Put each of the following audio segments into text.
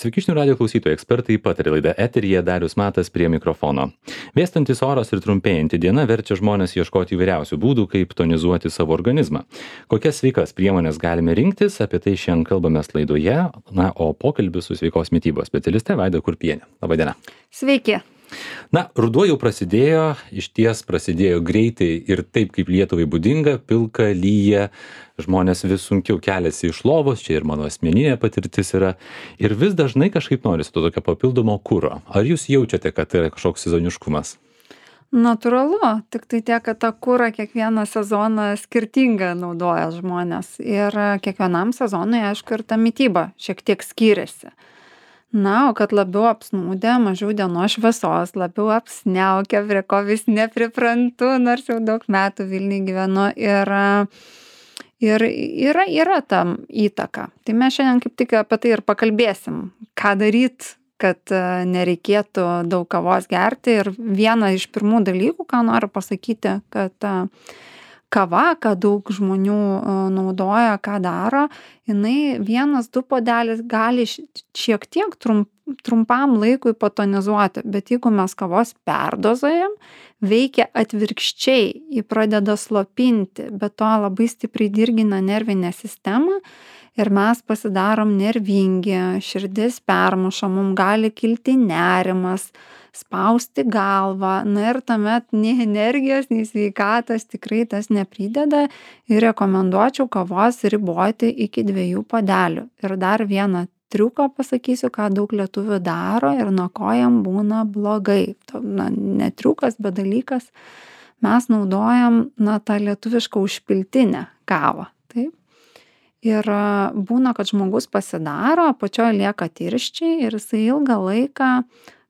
Sveiki žinių radijo klausytojai, ekspertai pataria laida eteryje, Darius Matas prie mikrofono. Vėstantis oras ir trumpėjanti diena verčia žmonės ieškoti įvairiausių būdų, kaip tonizuoti savo organizmą. Kokias sveikas priemonės galime rinktis, apie tai šiandien kalbamės laidoje, o pokalbis su sveikos mitybos specialiste Vaida Kurpienė. Labą dieną. Sveiki. Ruduo jau prasidėjo, išties prasidėjo greitai ir taip kaip Lietuvai būdinga, pilka, lyja, žmonės vis sunkiau keliasi iš lovos, čia ir mano asmeninė patirtis yra, ir vis dažnai kažkaip norisi to tokio papildomo kuro. Ar jūs jaučiate, kad tai yra kažkoks sezoniškumas? Natūralu, tik tai tiek, kad tą kurą kiekvieną sezoną skirtingą naudoja žmonės ir kiekvienam sezonui, aišku, ir ta mityba šiek tiek skiriasi. O kad labiau apsnūdę, mažiau dienos šviesos, labiau apsniaukę, prie ko vis nepriprantu, nors jau daug metų Vilniuje gyvenu ir yra tam įtaka. Tai mes šiandien kaip tik apie tai ir pakalbėsim, ką daryti, kad nereikėtų daug kavos gerti. Ir viena iš pirmų dalykų, ką noriu pasakyti, kad kava, ką daug žmonių naudoja, ką daro, jinai 1-2 puodelis gali šiek tiek trumpam laikui patonizuoti, bet jeigu mes kavos perdozuojam, veikia atvirkščiai, ji pradeda slopinti, bet to labai stipriai dirgina nervinę sistemą ir mes pasidarom nervingi, širdis permuša, mums gali kilti nerimas, spausti galvą, ir tuomet nei energijos, nei sveikatos tikrai tas neprideda ir rekomenduočiau kavos riboti iki 2 puodelių. Ir dar vieną triuką pasakysiu, ką daug lietuvių daro ir nuo ko jam būna blogai. Ne triukas, bet dalykas, mes naudojam tą lietuvišką užpiltinę kavą. Taip? Ir būna, kad žmogus pasidaro, apačioje lieka tirščiai ir jisai ilgą laiką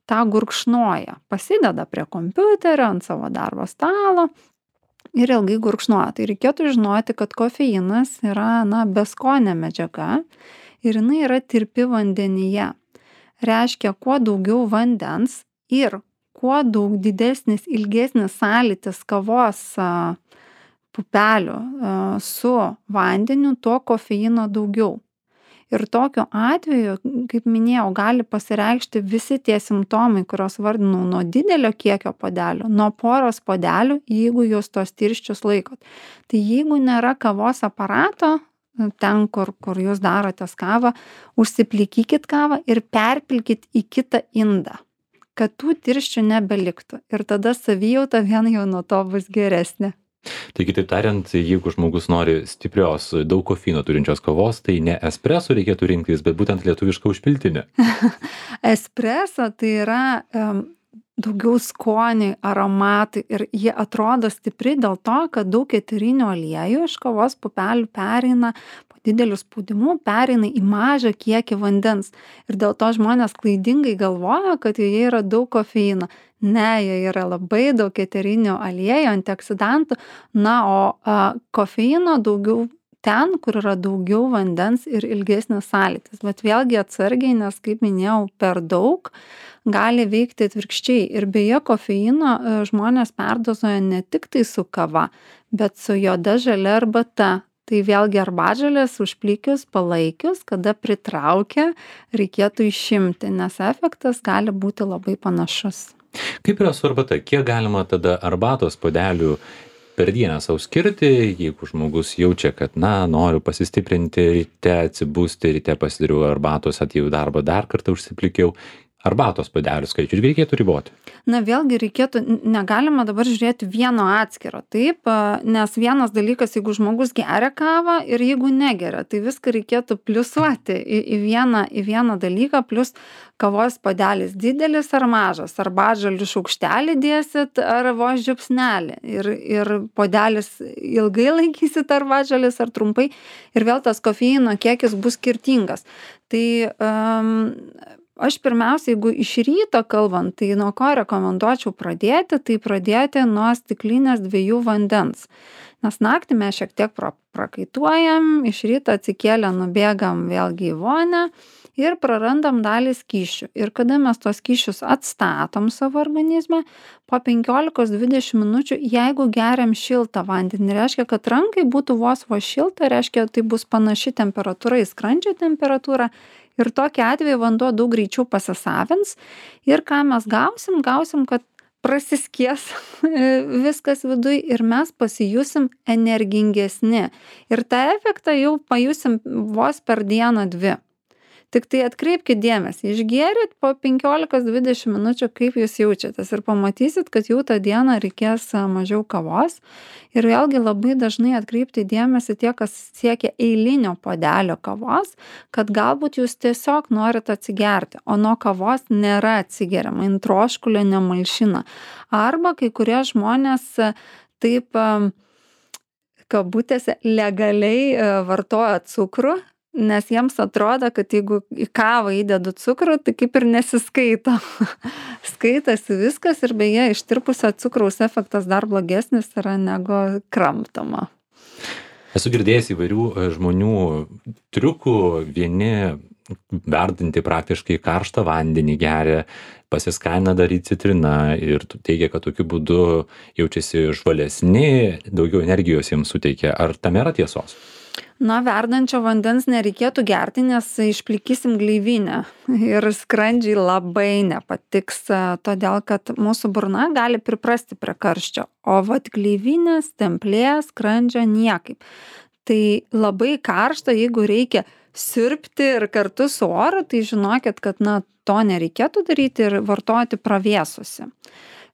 tą gurkšnoja. Pasideda prie kompiuterio, ant savo darbo stalo ir ilgai gurkšnoja. Tai reikėtų žinoti, kad kofeinas yra beskonė medžiaga ir jinai yra tirpi vandenyje. Reiškia, kuo daugiau vandens ir kuo daug didesnis, ilgesnis sąlytis kavos pupelių su vandeniu, tuo kofeino daugiau. Ir tokiu atveju, kaip minėjau, gali pasireikšti visi tie simptomai, kuriuos vardinau, nuo didelio kiekio puodelių, nuo poros puodelių, jeigu jūs tos tirščius laikot. Tai jeigu nėra kavos aparato, ten, kur jūs darotės kavą, užsiplikykit kavą ir perpilkit į kitą indą, kad tų tirščių nebeliktų. Ir tada savijauta vien jau nuo to bus geresnė. Tai kitaip tariant, jeigu žmogus nori stiprios, daug kofeino turinčios kavos, tai ne espreso reikėtų rinktis, bet būtent lietuvišką užpiltinę. Espreso tai yra daugiau skoniai, aromatai ir jie atrodo stipri dėl to, kad daug eterinių aliejų iš kavos pupelių pereina po dideliu spaudimu, pereina į mažą kiekį vandens. Ir dėl to žmonės klaidingai galvoja, kad joje yra daug kofeino. Ne, joje yra labai daug eterinių aliejų, antioksidantų, o kofeino daugiau ten, kur yra daugiau vandens ir ilgesnis sąlytis. Bet vėlgi atsargiai, nes, kaip minėjau, per daug gali veikti atvirkščiai. Ir beje, kofeino žmonės perdozuoja ne tik tai su kava, bet su juoda žalia arbata. Tai vėlgi arbatžolės užplikius, palaikius, kada pritraukia, reikėtų išimti, nes efektas gali būti labai panašus. Kaip yra su arbata? Kiek galima tada arbatos puodelių per dieną sau skirti, jeigu žmogus jaučia, kad noriu pasistiprinti ryte, atsibusti, ryte pasidariau arbatos, atėjau į darbą, dar kartą užsiplikiau. Arbatos puodelių skaičių irgi reikėtų riboti? Vėlgi reikėtų, negalima dabar žiūrėti vieno atskiro, taip, nes vienas dalykas, jeigu žmogus geria kavą ir jeigu negeria, tai viską reikėtų pliusuoti į vieną dalyką, plus kavos puodelis didelis ar mažas, arbatžolių šaukštelį dėsit ar vos žiupsnelį ir puodelis ilgai laikysit arbatžolės ar trumpai ir vėl tas kofeino kiekis bus skirtingas. Tai aš pirmiausia, jeigu iš ryto kalbant, tai nuo ko rekomenduočiau pradėti, tai pradėti nuo stiklinės 2 vandens. Nes naktį mes šiek tiek prakaituojam, iš ryto atsikėlę nubėgam vėlgi į vonią ir prarandam dalį skysčių. Ir kada mes tos skysčius atstatom savo organizme, po 15-20 minučių, jeigu geriam šiltą vandenį, reiškia, kad rankai būtų vos šilta, reiškia, tai bus panaši temperatūra į skrandžio temperatūrą Ir tokiu atveju vanduo daug greičiau pasisavins ir ką mes gausim, kad prasiskies viskas viduj ir mes pasijusim energingesni. Ir tą efektą jau pajusim vos per dieną 2. Tik tai atkreipkit dėmesį, išgėrėt po 15-20 minučių, kaip jūs jaučiatės ir pamatysit, kad jau tą dieną reikės mažiau kavos. Ir vėlgi labai dažnai atkreipti dėmesį tie, kas siekia eilinio puodelio kavos, kad galbūt jūs tiesiog norit atsigerti, o nuo kavos nėra atsigeriama, jin troškulio nemalšina. Arba kai kurie žmonės taip kabutėse legaliai vartoja cukrų, nes jiems atrodo, kad jeigu į kavą įdedu cukrų, tai kaip ir nesiskaito. Skaitasi viskas ir beje, ištirpusio cukraus efektas dar blogesnis yra negu kramtoma. Esu girdėjęs įvairių žmonių triukų, vieni verdantį praktiškai karštą vandenį geria, pasiskana daryti citriną ir teigia, kad tokiu būdu jaučiasi žvalesni, daugiau energijos jiems suteikia. Ar tam yra tiesos? Na, verdančio vandens nereikėtų gerti, nes išplikysim gleivinę ir skrandžiai labai nepatiks, todėl kad mūsų burna gali priprasti prie karščio, o vat gleivinės, stemplės, skrandžio niekaip. Tai labai karšta, jeigu reikia siurbti ir kartu su oru, tai žinokit, kad to nereikėtų daryti ir vartoti pravėsusi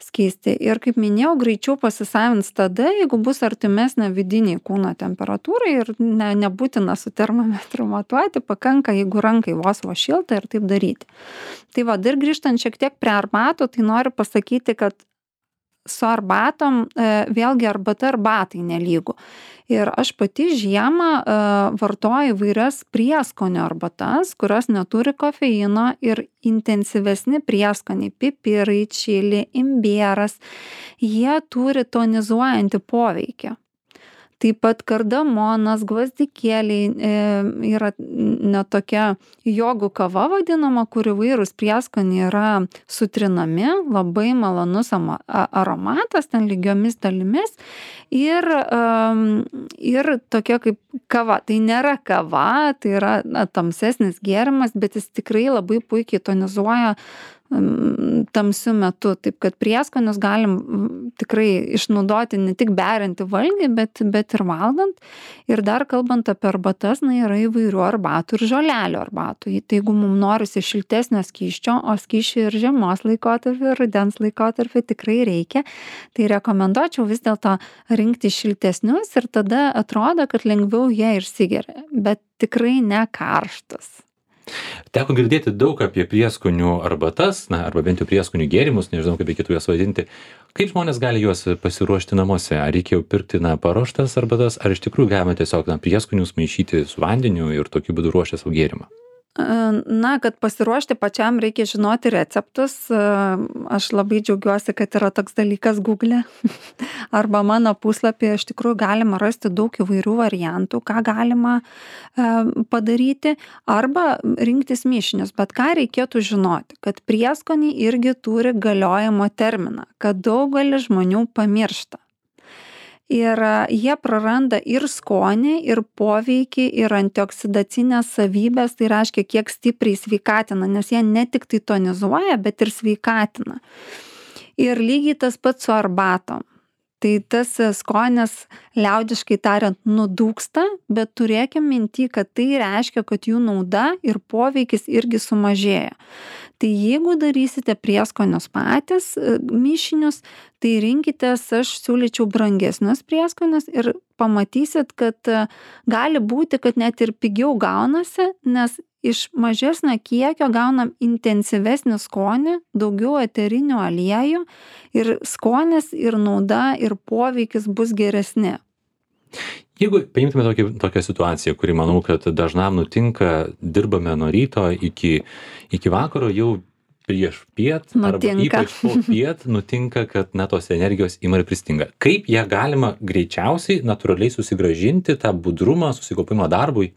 skystį. Ir kaip minėjau, greičiau pasisavins tada, jeigu bus artimesnė vidiniai kūno temperatūrai ir nebūtina su termometru matuoti, pakanka, jeigu rankai vos šilta ir taip daryti. Tai va, dar grįžtant šiek tiek prie arbatų, tai noriu pasakyti, kad su arbatom vėlgi arbata arbatai nelygu. Ir aš pati žiemą vartoju įvairias prieskonio arbatas, kurios neturi kofeino ir intensyvesni prieskoniai, pipirai, čili, imbieras, jie turi tonizuojantį poveikį. Taip pat kardamonas, gvazdikėliai yra tokia jogų kava vadinama, kur įvairūs prieskoniai yra sutrinami, labai malonus aromatas, ten lygiomis dalimis ir tokia kaip kava. Tai nėra kava, tai yra tamsesnis gėrimas, bet jis tikrai labai puikiai tonizuoja tamsiu metu, taip kad prieskonius galim tikrai išnaudoti ne tik beriant į valgį, bet ir valgant. Ir dar kalbant apie arbatas, yra įvairių arbatų ir žolelių arbatų. Tai jeigu mums norisi šiltesnio skysčio, o skysčių ir žiemos laikotarpį, ir rudens laikotarpį tikrai reikia, tai rekomenduočiau vis dėlto rinkti šiltesnius ir tada atrodo, kad lengviau jie išsigeria, bet tikrai ne karštus. Teko girdėti daug apie prieskonių arbatas, arba bent jau prieskonių gėrimus, nežinau, kaip reikėtų juos vadinti. Kaip žmonės gali juos pasiruošti namuose? Ar reikia jau pirkti paruoštas arbatas, ar iš tikrųjų galima tiesiog prieskonius maišyti su vandeniu ir tokiu būdu ruošti savo gėrimą? Kad pasiruošti pačiam reikia žinoti receptus. Aš labai džiaugiuosi, kad yra toks dalykas Google arba mano puslapyje iš tikrųjų galima rasti daug įvairių variantų, ką galima padaryti arba rinktis mišinius. Bet ką reikėtų žinoti, kad prieskoniai irgi turi galiojimo terminą, kad daugelis žmonių pamiršta. Ir jie praranda ir skonį, ir poveikį, ir antioksidacinės savybės, tai reiškia, kiek stipriai sveikatina, nes jie ne tik tai tonizuoja, bet ir sveikatina. Ir lygiai tas pats su arbatom. Tai tas skonis, liaudiškai tariant, nudūksta, bet turėkim minty, kad tai reiškia, kad jų nauda ir poveikis irgi sumažėja. Tai jeigu darysite prieskonius patys, mišinius, tai rinkitės, aš siūlyčiau brangesnius prieskonius ir pamatysit, kad gali būti, kad net ir pigiau gaunasi, nes iš mažesnio kiekio gaunam intensyvesnį skonį, daugiau eterinių aliejų ir skonis ir nauda ir poveikis bus geresni. Jeigu paimtume tokią situaciją, kuri manau, kad dažnam nutinka, dirbame nuo ryto iki vakaro, jau prieš piet arba ypač po piet nutinka, kad tos energijos ima ir pristinga. Kaip ją galima greičiausiai, natūraliai susigrąžinti, tą budrumą, susikaupimą darbui?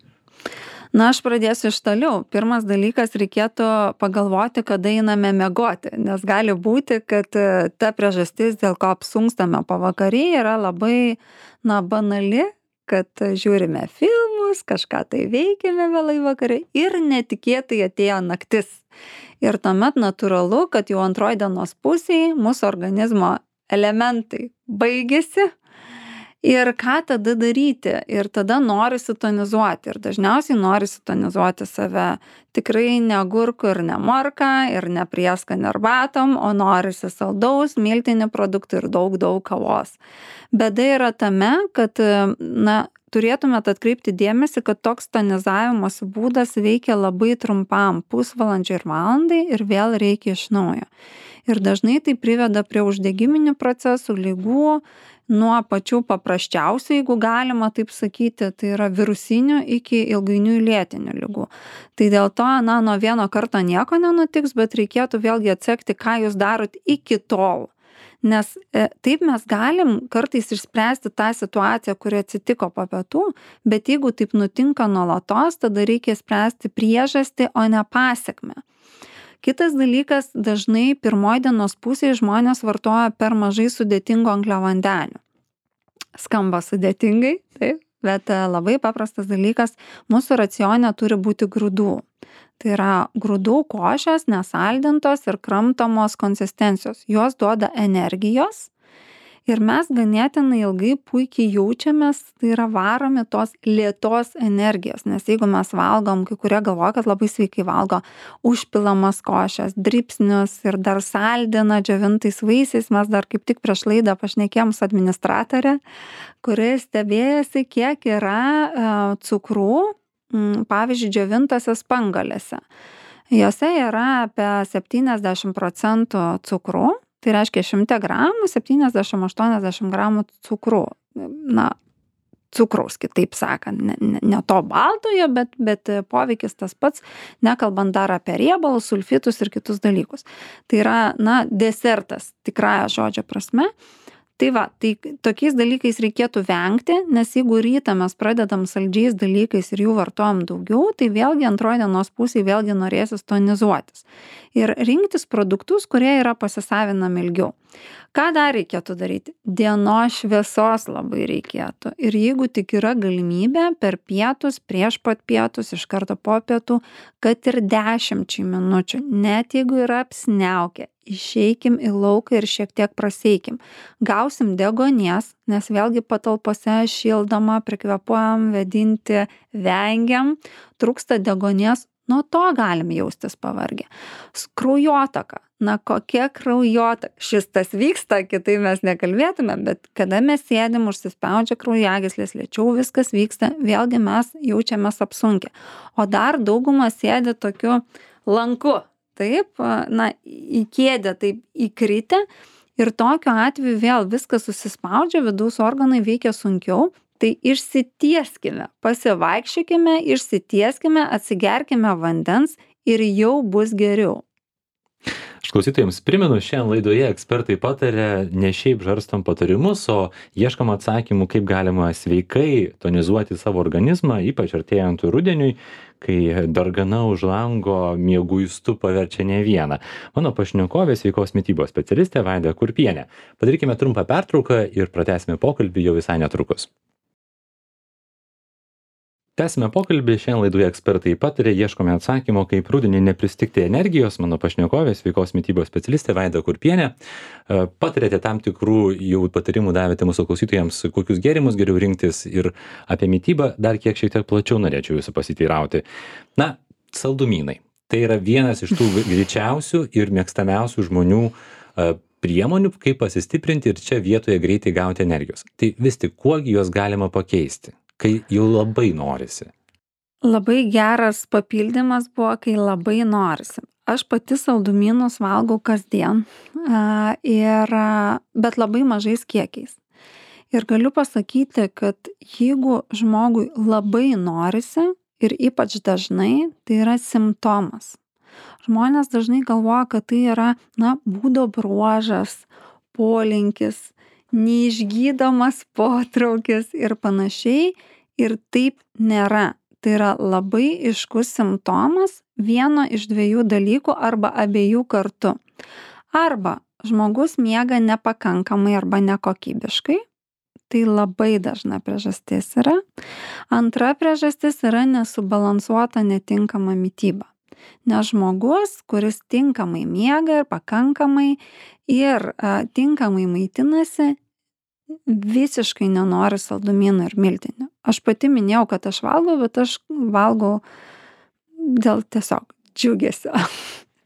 Aš pradėsiu iš toliau. Pirmas dalykas, reikėtų pagalvoti, kada einame miegoti, nes gali būti, kad ta priežastis, dėl ko apsunkstame pavakary, yra labai banali, kad žiūrime filmus, darbus, kažką tai veikėme vėlai vakare ir netikėtai atėjo naktis. Ir tuomet natūralu, kad jau antroji dienos pusėje mūsų organizmo elementai baigėsi. Ir ką tada daryti? Ir tada norisi tonizuoti. Ir dažniausiai norisi tonizuoti save tikrai ne agurkų ir ne morką ir ne prieskonį arbatom, o norisi saldaus, miltinių produktų ir daug kavos. Bėda yra tame, kad turėtumėt atkreipti dėmesį, kad toks tonizavimosi būdas veikia labai trumpam, pusvalandžiui ir valandai ir vėl reikia iš naujo. Ir dažnai tai priveda prie uždegiminių procesų, ligų, nuo pačių paprasčiausių, jeigu galima taip sakyti, tai yra virusinių iki ilgainiui lėtinių ligų. Tai dėl to, nuo vieno karto nieko nenutiks, bet reikėtų vėlgi atsekti, ką jūs darot iki tol. Nes taip mes galim kartais išspręsti tą situaciją, kuri atsitiko po pietų, bet jeigu taip nutinka nuolatos, tada reikia spręsti priežastį, o ne pasekmę. Kitas dalykas, dažnai pirmoji dienos pusėje žmonės vartoja per mažai sudėtingų angliavandenių. Skamba sudėtingai, taip, bet labai paprastas dalykas, mūsų racione turi būti grūdų. Tai yra grūdų košės, nesaldintos ir kramtomos konsistencijos. Jos duoda energijos ir mes ganėtinai ilgai puikiai jaučiamės, tai yra varomi tos lėtos energijos. Nes jeigu mes valgom, kai kurie galvoja, kad labai sveikai valgo užpilamas košės, dribsnius ir dar saldina džiovintais vaisiais, mes dar kaip tik prieš laidą pašnekėjom su administratore, kuris stebėjosi, kiek yra cukrų, pavyzdžiui, džiovintose spanguolėse. Jose yra apie 70% cukrų, tai reiškia 100 gramų, 70-80 gramų cukrų. Cukraus, kitaip sakant, ne to baltojo, bet poveikis tas pats, nekalbant dar apie riebalus, sulfitus ir kitus dalykus. Tai yra, desertas, tikrąja žodžio prasme. Tai tokiais dalykais reikėtų vengti, nes jeigu rytą mes pradedam saldžiais dalykais ir jų vartojam daugiau, tai vėlgi antroji dienos pusėje vėlgi norėsis tonizuotis. Ir rinktis produktus, kurie yra pasisavinami ilgiau. Ką dar reikėtų daryti? Dienos šviesos labai reikėtų. Ir jeigu tik yra galimybė per pietus, prieš pat pietus, iš karto po pietų, kad ir 10 minučių, net jeigu yra apsniaukę, išeikim į lauką ir šiek tiek praseikim. Gausim deguonies, nes vėlgi patalpose šildoma, prikvėpuojam, vėdinti vengiam, trūksta deguonies, nuo to galim jaustis pavargę. Kraujotaka. Kokia kraujotaka? Šis tas vyksta, kitai mes nekalbėtume, bet kada mes sėdim, užsispaudžia kraujagyslės, lėčiau viskas vyksta, vėlgi mes jaučiamės apsunkę. O dar dauguma sėdi tokiu lanku. Taip, į kėdę taip įkritę ir tokiu atveju vėl viskas susispaudžia, vidaus organai veikia sunkiau, tai išsitieskime, pasivaikščiokime, išsitieskime, atsigerkime vandens ir jau bus geriau. Aš klausytojams primenu, šiandien laidoje ekspertai pataria ne šiaip žarstom patarimus, o ieškom atsakymų, kaip galima sveikai tonizuoti savo organizmą, ypač artėjant rudeniui, kai dargana už lango mieguistu paverčia ne vieną. Mano pašnekovė sveikos mitybos specialistė Vaida Kurpienė. Padarykime trumpą pertrauką ir pratęsime pokalbį jau visai netrukus. Tęsime pokalbį, šiandien laidoje ekspertai pataria, ieškome atsakymo, kaip rudenį nepristigti energijos. Mano pašnekovė, sveikos mitybos specialistė Vaida Kurpienė. Patarėte tam tikrų jau patarimų, davėte mūsų klausytojams, kokius gėrimus geriau rinktis ir apie mitybą dar šiek tiek plačiau norėčiau jūsų pasiteirauti. Saldumynai. Tai yra vienas iš tų greičiausių ir mėgstamiausių žmonių priemonių, kaip pasistiprinti ir čia vietoje greitai gauti energijos. Tai vis tik, kuogi juos galima pakeisti, kai jau labai norisi? Labai geras papildymas buvo, kai labai norisi. Aš pati saldumynus valgau kasdien, bet labai mažais kiekiais. Ir galiu pasakyti, kad jeigu žmogui labai norisi ir ypač dažnai, tai yra simptomas. Žmonės dažnai galvoja, kad tai yra, būdo bruožas, polinkis, neišgydomas potraukis ir panašiai, ir taip nėra. Tai yra labai aiškus simptomas vieno iš 2 dalykų arba abiejų kartu. Arba žmogus miega nepakankamai arba nekokybiškai, Tai labai dažna priežastis yra. Antra priežastis yra nesubalansuota netinkama mityba. Nes žmogus, kuris tinkamai miega ir pakankamai ir tinkamai maitinasi, visiškai nenori saldumynų ir miltinių. Aš pati minėjau, kad aš valgau, bet aš valgau dėl tiesiog džiugesio.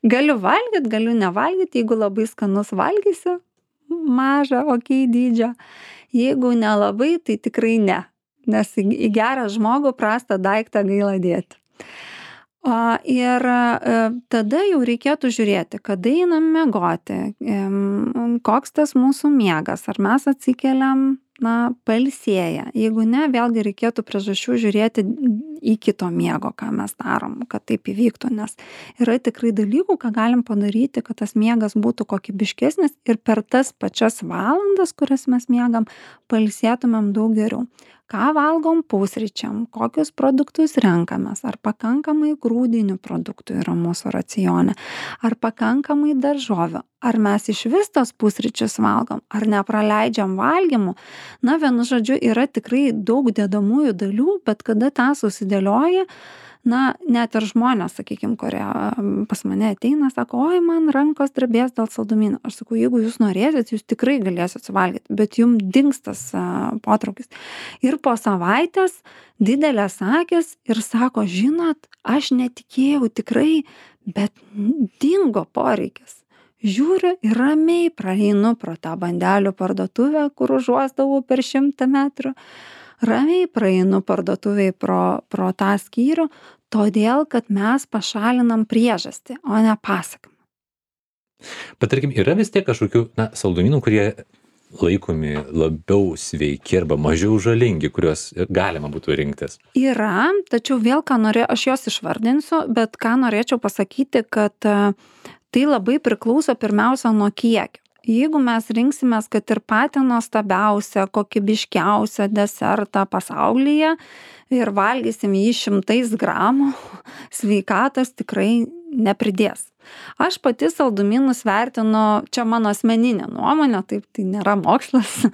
Galiu valgyt, galiu nevalgyt, jeigu labai skanus valgysiu, mažą, dydžio. Jeigu nelabai, tai tikrai ne. Nes į gerą žmogų prastą daiktą gaila dėti. Ir tada jau reikėtų žiūrėti, kada einam miegoti, koks tas mūsų miegas, ar mes atsikeliam, pailsėję. Jeigu ne, vėlgi reikėtų priežasčių žiūrėti į kito miego, ką mes darom, kad taip įvyktų, nes yra tikrai dalykų, ką galim padaryti, kad tas miegas būtų kokybiškesnis ir per tas pačias valandas, kurias mes miegam, pailsėtumėm daug geriau. Ką valgom pusryčiam, kokius produktus renkamės, ar pakankamai grūdinių produktų yra mūsų racione, ar pakankamai daržovių, ar mes iš vis tos pusryčius valgom, ar nepraleidžiam valgymų. Vienu žodžiu, yra tikrai daug dedamųjų dalių, bet kada tą susidėlioja, net ir žmonės, sakykime, kurie pas mane ateina, sako, oi, man rankos drebės dėl saldumynų. Aš sakau, jeigu jūs norėsit, jūs tikrai galėsit suvalgyti, bet jums dings tas potraukis. Ir po savaitės didelės akys ir sako, žinot, aš netikėjau tikrai, bet dingo poreikis. Žiūriu ir ramiai praeinu pro tą bandelių parduotuvę, kur užuosdavau per 100 metrų. Ramiai praeinu parduotuviai pro tą skyrių, todėl, kad mes pašalinam priežastį, o ne pasekmę. Bet tarkim, yra vis tiek kažkokių saldumynų, kurie laikomi labiau sveiki arba mažiau žalingi, kuriuos galima būtų rinktis? Yra, tačiau vėl aš juos išvardinsiu, bet ką norėčiau pasakyti, kad tai labai priklauso pirmiausia nuo kiekio. Jeigu mes rinksimės, kad ir patį nuostabiausią, kokybiškiausią desertą pasaulyje ir valgysim jį 100 gramų, sveikatos tikrai nepridės. Aš pati saldumynus vertinu, čia mano asmeninė nuomonė, taip, tai nėra mokslas,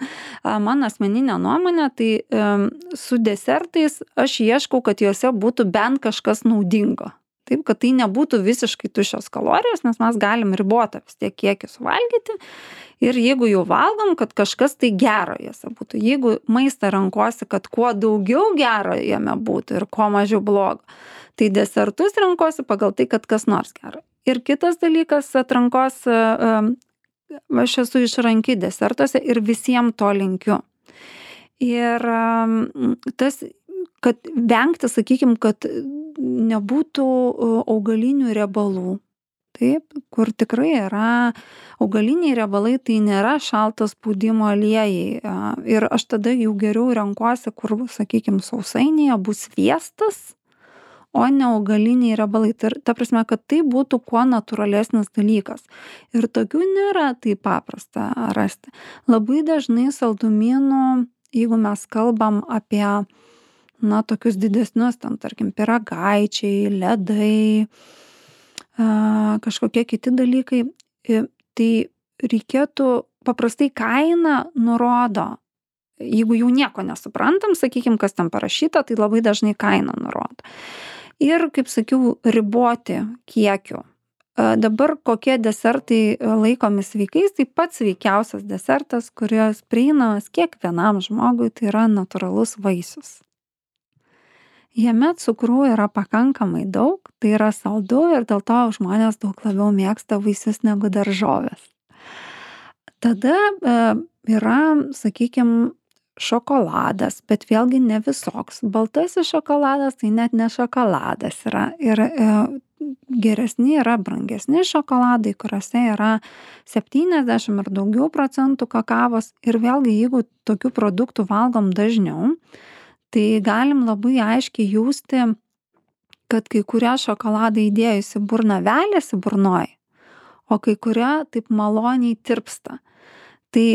mano asmeninė nuomonė, tai su desertais aš ieškau, kad juose būtų bent kažkas naudingo. Taip, kad tai nebūtų visiškai tuščios kalorijos, nes mes galim ribotą vis tiek kiekį suvalgyti. Ir jeigu jau valgom, kad kažkas tai gero jose būtų. Jeigu maistą renkuosi, kad kuo daugiau gero jame būtų ir kuo mažiau blogo, tai desertus renkuosi pagal tai, kad kas nors gero. Ir kitas dalykas atrankos, aš esu išranki desertuose ir visiems to linkiu. Ir tas, kad vengti, sakykime, kad nebūtų augalinių riebalų. Taip, kur tikrai yra augaliniai riebalai, tai nėra šalto spaudimo aliejai. Ir aš tada jau geriau renkuosi, kur, sakykime, sausainėje bus sviestas, o ne augaliniai riebalai. Ta prasme, kad tai būtų kuo natūralesnis dalykas. Ir tokių nėra taip paprasta rasti. Labai dažnai saldumynų, jeigu mes kalbam apie tokius didesnius, tarkim, pyragaičiai, ledai, kažkokie kiti dalykai, tai reikėtų, paprastai kaina nurodo, jeigu jau nieko nesuprantam, sakykime, kas ten parašyta, tai labai dažnai kaina nurodo. Ir, kaip sakiau, riboti kiekiu. Dabar kokie desertai laikomi sveikais, tai pats sveikiausias desertas, kuris prieinamas kiekvienam žmogui, tai yra natūralus vaisius. Jame cukrų yra pakankamai daug, tai yra saldu ir dėl to žmonės daug labiau mėgsta vaisius negu daržovės. Tada yra, sakykime, šokoladas, bet vėlgi ne visoks. Baltasis šokoladas tai net ne šokoladas yra. Ir geresni yra brangesni šokoladai, kuriuose yra 70 ir daugiau procentų kakavos. Ir vėlgi, jeigu tokių produktų valgom dažniau, tai galim labai aiškiai jausti, kad kai kurie šokoladai įdėjus į burną veliasi burnoj, o kai kurie taip maloniai tirpsta. Tai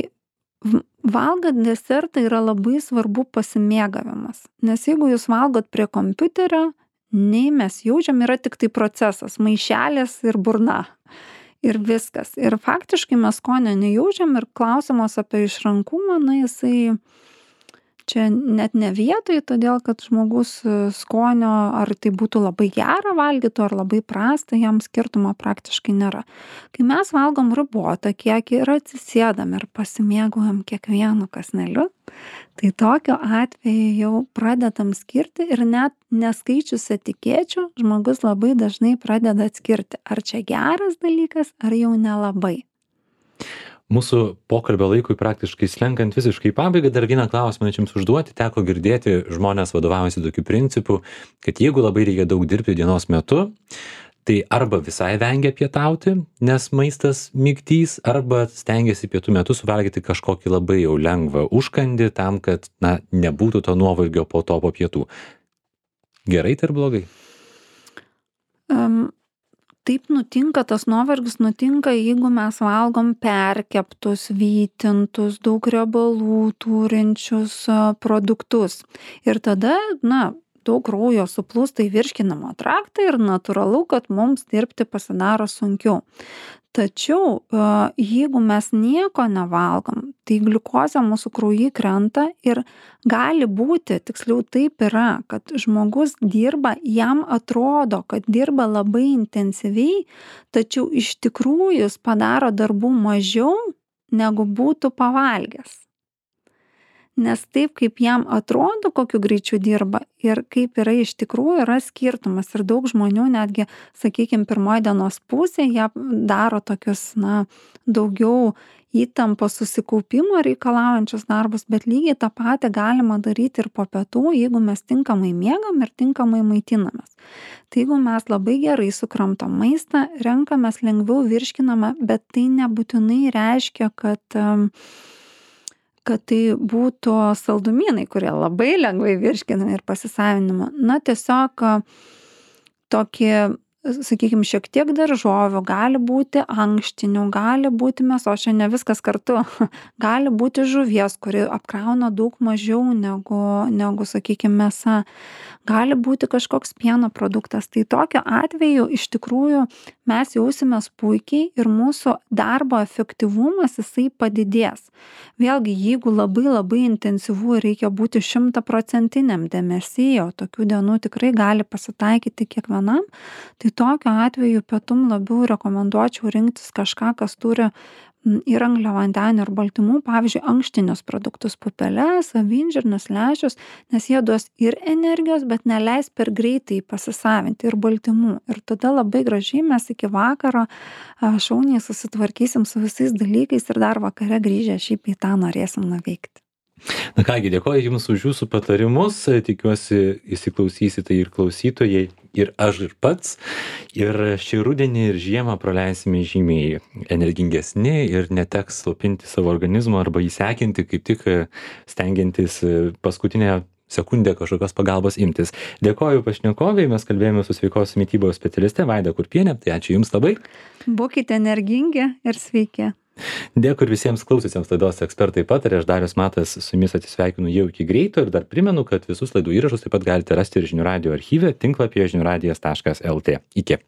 valgant desertą yra labai svarbu pasimėgavimas. Nes jeigu jūs valgot prie kompiuterio, nei mes jaučiam, yra tik tai procesas, maišelis ir burna. Ir viskas. Ir faktiškai mes skonio nejaučiam ir klausimas apie išrankumą, jisai čia net ne vietoj, todėl kad žmogus skonio, ar tai būtų labai gera valgytų, ar labai prasta, jam skirtumo praktiškai nėra. Kai mes valgom ribotą kiekį ir atsisėdam ir pasimėgaujam kiekvienu kąsneliu, tai tokiu atveju jau pradedam skirti ir net neskaičius etikečių, žmogus labai dažnai pradeda atskirti, ar čia geras dalykas, ar jau nelabai. Mūsų pokalbio laikui praktiškai slenkant visiškai į pabaigą, dar vieną klausimą jums užduoti. Teko girdėti, žmonės vadovaujasi tokiu principu, kad jeigu labai reikia daug dirbti dienos metu, tai arba visai vengia pietauti, nes maistas migdys, arba stengiasi pietų metu suvalgyti kažkokį labai jau lengvą užkandį tam, kad nebūtų to nuovargio po to po pietų. Gerai tai ar blogai? Taip nutinka, tas nuovargis nutinka, jeigu mes valgom perkeptus, vytintus, daug riebalų turinčius produktus. Ir tada, daug kraujo suplūsta į virškinamą traktą ir natūralu, kad mums dirbti pasidaro sunkiau. Tačiau, jeigu mes nieko nevalgom, tai gliukozė mūsų kraujy krenta ir gali būti, tiksliau taip yra, kad žmogus dirba, jam atrodo, kad dirba labai intensyviai, tačiau iš tikrųjų jis padaro darbų mažiau, negu būtų pavalgęs. Nes taip, kaip jam atrodo, kokiu greičiu dirba ir kaip yra iš tikrųjų, yra skirtumas. Ir daug žmonių netgi, sakykime, pirmoji dienos pusė, jie daro tokius, daugiau įtampos susikaupimo reikalaujančius darbus, bet lygiai tą patį galima daryti ir po pietų, jeigu mes tinkamai miegam ir tinkamai maitinamės. Tai jeigu mes labai gerai sukramtom maistą, renkamės lengviau virškinamą, bet tai nebūtinai reiškia, kad tai būtų saldumynai, kurie labai lengvai virškinami ir pasisavinama. Tiesiog tokie, sakykime, šiek tiek daržovių, gali būti ankštinių, gali būti mėsos, čia ne viskas kartu, gali būti žuvies, kuri apkrauna daug mažiau negu sakykime, mėsa, gali būti kažkoks pieno produktas. Tai tokiu atveju iš tikrųjų mes jausimės puikiai ir mūsų darbo efektyvumas jisai padidės. Vėlgi, jeigu labai intensyvu reikia būti 100% dėmesy, o tokių dienų tikrai gali pasitaikyti kiekvienam, tai tokiu atveju pietum labiau rekomenduočiau rinktis kažką, kas turi ir angliavandenių ir baltymų, pavyzdžiui, ankštinius produktus, pupeles, avinžirnius, lęšius, nes jie duos ir energijos, bet neleis per greitai pasisavinti ir baltymų. Ir tada labai gražiai mes iki vakaro šauniai susitvarkysim su visais dalykais ir dar vakare grįžę šį bei tą norėsim nuveikti. Kągi, dėkoju Jums už Jūsų patarimus, tikiuosi įsiklausysite ir klausytojai, ir aš ir pats. Ir šį rudenį ir žiemą praleisime žymiai energingesni ir neteks slopinti savo organizmo arba įsekinti, kaip tik stengiantis paskutinę sekundę kažkokios pagalbos imtis. Dėkoju pašnekoviai, mes kalbėjome su sveikos mitybos specialiste Vaida Kurpienė, tai ačiū Jums labai. Būkite energingi ir sveiki. Dėkui ir visiems klausysiams laidos Ekspertai pataria. Aš Darius Matas su jumis atsisveikinu jau iki greito ir dar primenu, kad visus laidų įrašus taip pat galite rasti ir žinių radijo archyve tinklapyje žiniųradijas.lt. Iki.